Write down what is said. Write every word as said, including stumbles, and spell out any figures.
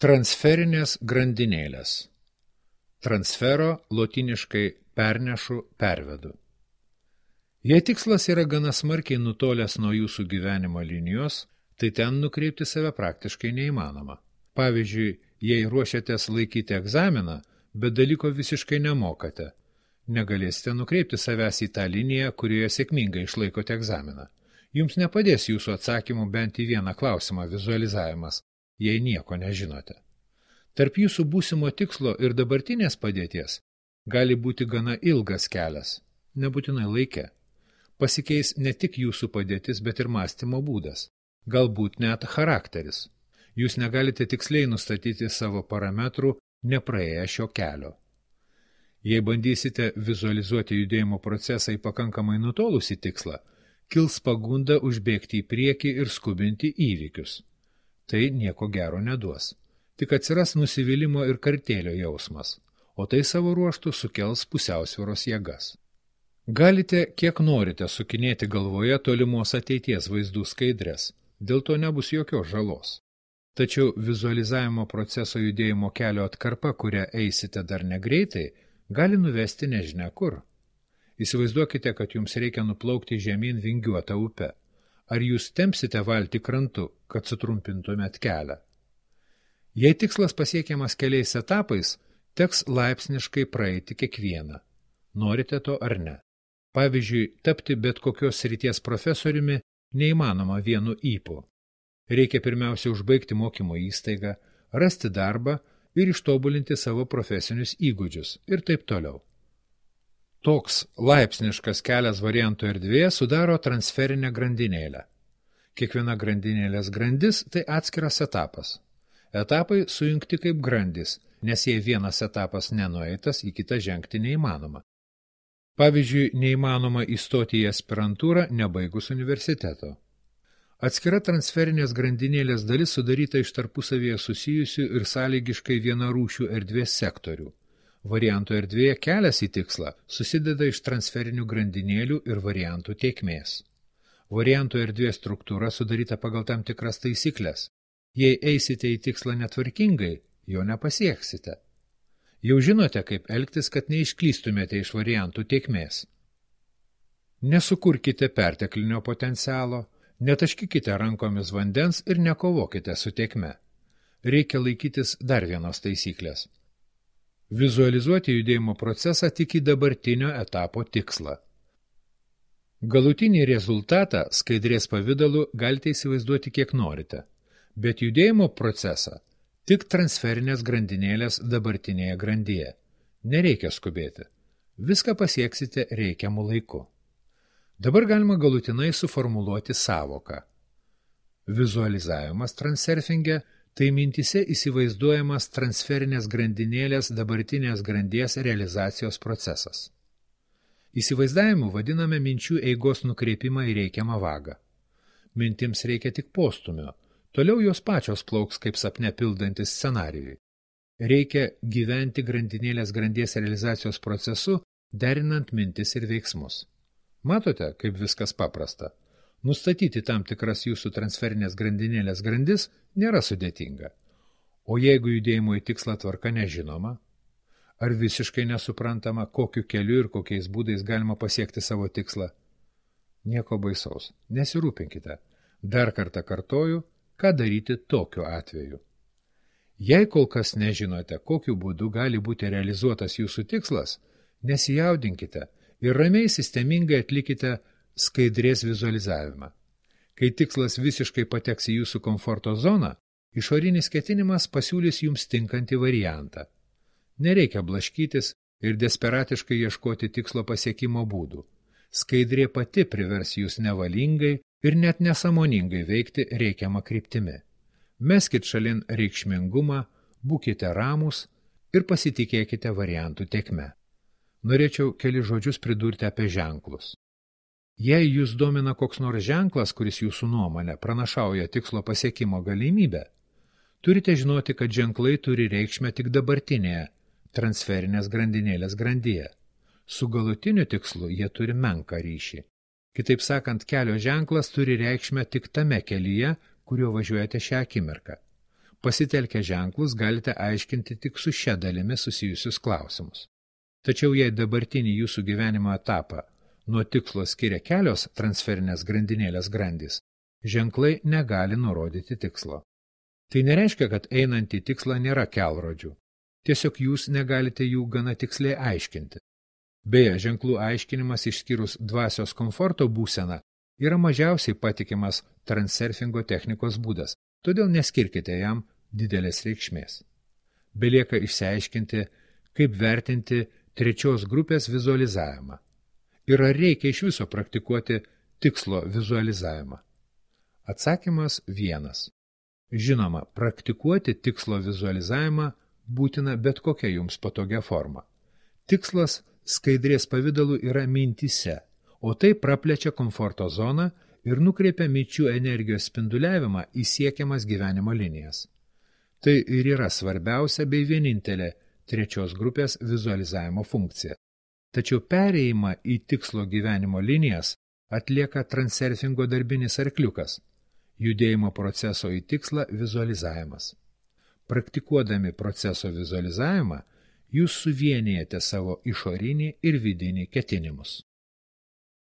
Transferinės grandinėlės. Transfero lotyniškai pernešu, pervedu. Jei tikslas yra gana smarkiai nutolęs nuo jūsų gyvenimo linijos, tai ten nukreipti save praktiškai neįmanoma. Pavyzdžiui, jei ruošiatės laikyti egzaminą, bet dalyko visiškai nemokate, negalėsite nukreipti savęs į tą liniją, kurioje sėkmingai išlaikote egzaminą. Jums nepadės jūsų atsakymų bent į vieną klausimą vizualizavimas, jei nieko nežinote. Tarp jūsų būsimo tikslo ir dabartinės padėties gali būti gana ilgas kelias, nebūtinai laike. Pasikeis ne tik jūsų padėtis, bet ir mąstymo būdas, galbūt net charakteris. Jūs negalite tiksliai nustatyti savo parametrų, nepraėję šio kelio. Jei bandysite vizualizuoti judėjimo procesą į pakankamai nutolusį tikslą, kils pagunda užbėgti į priekį ir skubinti įvykius. Tai nieko gero neduos. Tik atsiras nusivylimo ir kartėlio jausmas, o tai savo ruožtų sukels pusiausvyros jėgas. Galite kiek norite sukinėti galvoje tolimos ateities vaizdų skaidres, dėl to nebus jokios žalos. Tačiau vizualizavimo proceso judėjimo kelio atkarpa, kurią eisite dar negreitai, gali nuvesti nežinia kur. Įsivaizduokite, kad jums reikia nuplaukti žemyn vingiuotą upę. Ar jūs tempsite valtį krantu, kad sutrumpintumėt kelią? Jei tikslas pasiekiamas keliais etapais, teks laipsniškai praeiti kiekvieną. Norite to ar ne? Pavyzdžiui, tapti bet kokios srities profesoriumi neįmanoma vienu ypu. Reikia pirmiausia užbaigti mokymo įstaigą, rasti darbą ir ištobulinti savo profesinius įgūdžius ir taip toliau. Toks laipsniškas kelias variantų erdvėje sudaro transferinę grandinėlę. Kiekviena grandinėlės grandis tai atskiras etapas. Etapai sujungti kaip grandis, nes jei vienas etapas nenueitas, į kitą žengti neįmanoma. Pavyzdžiui, neįmanoma įstoti į aspirantūrą nebaigus universiteto. Atskira transferinės grandinėlės dalis sudaryta iš tarpusavyje susijusių ir sąlygiškai vienarūšių erdvės sektorių. Variantų erdvėje kelias į tikslą susideda iš transferinių grandinėlių ir variantų tėkmės. Variantų erdvės struktūra sudaryta pagal tam tikras taisyklės. Jei eisite į tikslą netvarkingai, jo nepasieksite. Jau žinote, kaip elgtis, kad neišklystumėte iš variantų tėkmės. Nesukurkite perteklinio potencialo, netaškykite rankomis vandens ir nekovokite su tėkme. Reikia laikytis dar vienos taisyklės. Vizualizuoti judėjimo procesą tik į dabartinio etapo tikslą. Galutinį rezultatą skaidrės pavidalu galite įsivaizduoti kiek norite, bet judėjimo procesą tik transferinės grandinėlės dabartinėje grandyje. Nereikia skubėti. Viską pasieksite reikiamu laiku. Dabar galima galutinai suformuluoti sąvoką. Vizualizavimas transurfinge tai mintise įsivaizduojamas transferinės grandinėlės dabartinės grandies realizacijos procesas. Įsivaizdavimu vadiname minčių eigos nukreipimą į reikiamą vagą. Mintims reikia tik postumio, toliau jos pačios plauks kaip sapne pildantis scenarijui. Reikia gyventi grandinėlės grandies realizacijos procesu, derinant mintis ir veiksmus. Matote, kaip viskas paprasta. Nustatyti tam tikras jūsų transferinės grandinėlės grandis nėra sudėtinga. O jeigu judėjimo į tikslą tvarka nežinoma, ar visiškai nesuprantama, kokiu keliu ir kokiais būdais galima pasiekti savo tikslą? Nieko baisaus, nesirūpinkite. Dar kartą kartoju, ką daryti tokiu atveju. Jei kol kas nežinote, kokiu būdu gali būti realizuotas jūsų tikslas, nesijaudinkite ir ramiai sistemingai atlikite skaidrės vizualizavimą. Kai tikslas visiškai pateks į jūsų komforto zoną, išorinis ketinimas pasiūlys jums tinkantį variantą. Nereikia blaškytis ir desperatiškai ieškoti tikslo pasiekimo būdų. Skaidrė pati privers jūs nevalingai ir net nesąmoningai veikti reikiamą kryptimi. Meskit šalin reikšmingumą, būkite ramūs ir pasitikėkite variantų tėkme. Norėčiau keli žodžius pridurti apie ženklus. Jei jūs domina koks nors ženklas, kuris jūsų nuomonė pranašauja tikslo pasiekimo galimybę, turite žinoti, kad ženklai turi reikšmę tik dabartinėje transferinės grandinėlės grandyje. Su galutiniu tikslu jie turi menką ryšį. Kitaip sakant, kelio ženklas turi reikšmę tik tame kelyje, kuriuo važiuojate šią akimirką. pasitelkę ženklus galite aiškinti tik su šia dalimi susijusius klausimus. Tačiau jei dabartinį jūsų gyvenimo etapą nuo tikslo skiria kelios transferinės grandinėlės grandys, ženklai negali nurodyti tikslo. Tai nereiškia, kad einant į tikslą nėra kelrodžių. Tiesiog jūs negalite jų gana tiksliai aiškinti. Beje, ženklų aiškinimas išskyrus dvasios komforto būseną yra mažiausiai patikimas transurfingo technikos būdas, todėl neskirkite jam didelės reikšmės. Belieka išsiaiškinti, kaip vertinti trečios grupės vizualizavimą. Ir ar reikia iš viso praktikuoti tikslo vizualizavimą? Atsakymas vienas. Žinoma, praktikuoti tikslo vizualizavimą būtina bet kokia jums patogia forma. Tikslas skaidrės pavidalu yra mintyse, o tai praplečia komforto zoną ir nukreipia minčių energijos spinduliavimą į siekiamas gyvenimo linijas. Tai ir yra svarbiausia bei vienintelė trečios grupės vizualizavimo funkcija. Tačiau perėjimą į tikslo gyvenimo linijas atlieka transurfingo darbinis arkliukas, judėjimo proceso į tikslą vizualizavimas. Praktikuodami proceso vizualizavimą, jūs suvienijate savo išorinį ir vidinį ketinimus.